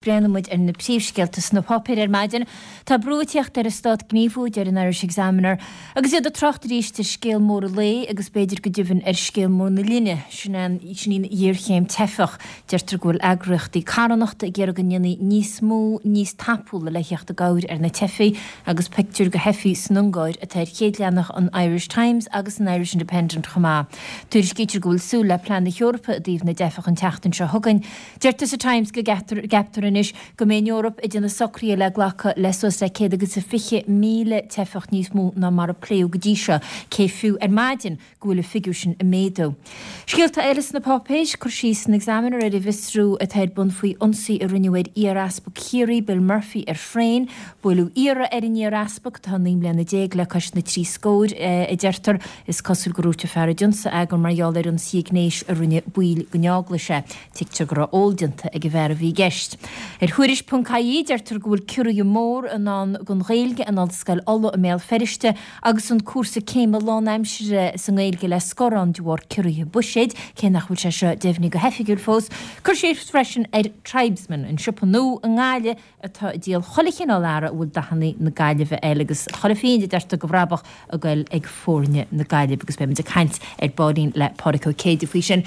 Breathnaíonn muid ar na príomhscéalta sna páipéir ar maidin. Tá brú ag tíocht ar an Stát gníomhú, a deir an Irish Examiner, agus iad ag trácht arís ar scéal mór an lae agus b'fhéidir go deimhin ar scéal mór na linne, sin í an ghéarchéim teifeach. Deirtear go bhfuil eagraíochtaí carthanachta ag iarraidh go ndéanfaí níos mó, níos tapúla le theacht i gcabhair ar na teifigh agus pictiúr de theifigh san Ungáir atá ar chéad leathanach an Irish Times agus an Irish Independent chomh maith. Tuairiscítear go bhfuil súil le plean na hEorpa i dtaobh na dteifeach an tseachtain seo chugainn. Deirtear sa Times go gceaptar anois go mbeidh an Eoraip ag déanamh socruithe le glacadh le suas le 120,000 teifeach níos mó ná mar a pléadh go dtí seo, cé fiú ar maidin go bhfuil an figiúr sin ag méadú. Scéalta eile sna páipéir, cur síos san Examiner ar an bhfiosrú atá ar bun faoi ionsaí a rinneadh ar iar-easpag Chiarraí, Bill Murphy, ar thraein. Buaileadh iarraidh ar an iar-easpag, atá 19 mbliana le cois na dtrí scóir, a deirtear. Is cosúil gur dhúirt an fear a d'ionsaigh é gur mar gheall ar ionsaí gnéis a rinne baill den eaglais é. Tuigtear go raibh ól déanta ag an bhfear a bhí i gceist. Ar Thuairisc.ie deirtear go bhfuil ciorruithe mór i ndán don Ghaeilge in Ollscoil Uladh i mBéal Feirste agus an cúrsa céime lánaimseartha sa nGaeilge le scor ann de bharr ciorruithe buiséid, cé nach bhfuil sé seo deimhnithe go hoifigiúil fós. Cur síos freisin ar Tribesman, an siopa nua i nGaillimh atá ag díol chuile chineál earra a bhfuil dathanna na Gaillimhe air agus chuile phingin a deirtear de bhrabach ag goil ag foirne na Gaillimhe agus beidh muid ag caint ar baillín le Pádraig Ó Céide faoi sin.